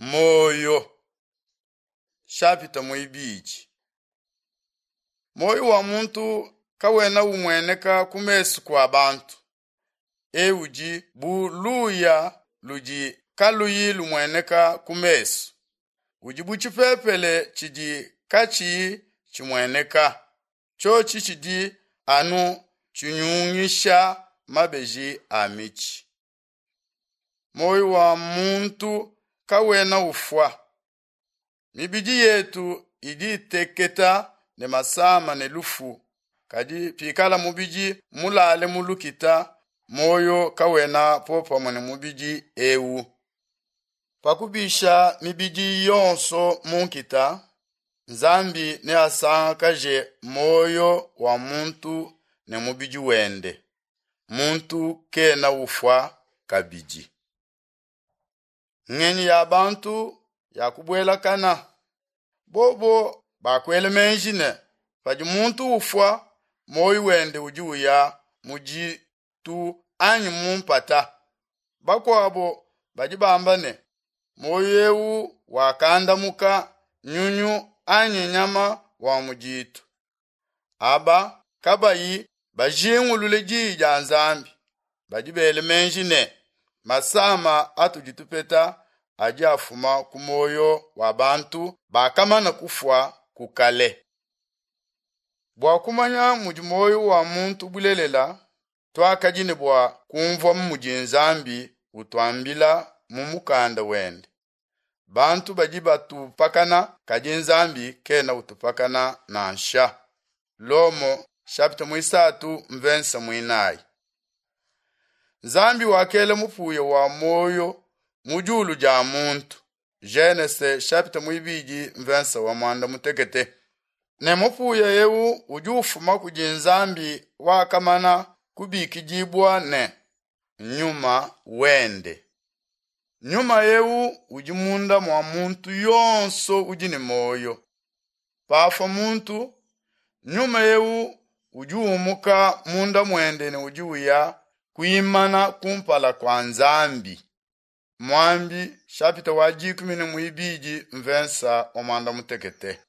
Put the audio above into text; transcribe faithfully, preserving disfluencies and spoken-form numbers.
Muoyo shapita muibidi. Muoyo wa muntu kawena umueneka ku mesu kua bantu. Eu udi bu luya ludi kaluyi lumueneka ku mesu. Udi bu tshipepele tshidi katshiyi tshimueneka. Tshiotshi tshidi anu tshinyungisha mabeji a mitshi. Muoyo wa muntu kawena ufua. Mibidi yetu idi iteketa ne masama ne lufu. Kadi pikala mubidi mulale mu lukita, muoyo kawena popamue ne mubidi eu. Pakubisha mibidi yonso mu nkita, Nzambi neasangakaje muoyo wa muntu ne mubidi wende. Muntu kena ufua kabidi. Ngenyi ya bantu ya kubuelakana. Bobo bakuela meji ne padi muntu ufua, muoyo wende udi uya mu ditu anyi mu mpata. Bakuabo badi bamba ne muoyo eu wakandamuka nyunyu anyi nyama wa mu ditu. Aba kabayi bajingulule diyi dia Nzambi, badi bela meji ne masama atudi tupeta adi afuma ku muoyo wa bantu bakamana kufua ku kale. Bua kumanya mudi muoyo wa muntu bulelela, tuakadi ne bua kumvua mudi Nzambi utuambila mu mukanda wende. Bantu badi batupakana, kadi Nzambi kena utupakana nansha. Lomo chapitre muisatu mvensa muinayi. Nzambi wakela mupuya wa muoyo mu diulu dia muntu. Genese chapitre muibidi mvensa wa mwanda mutekete. Ne mupuya eu udi ufuma kudi Nzambi wakamana kubikidibua ne nyuma wende. Nyuma eu udi munda mua muntu yonso udi ne muoyo. Pafua muntu, nyuma eu udi umuka munda muende ne udi uya kuimana kumpala kua Nzambi. Mwambi chapitre wa dikumi ne muibidi mvensa wa mwanda mutekete.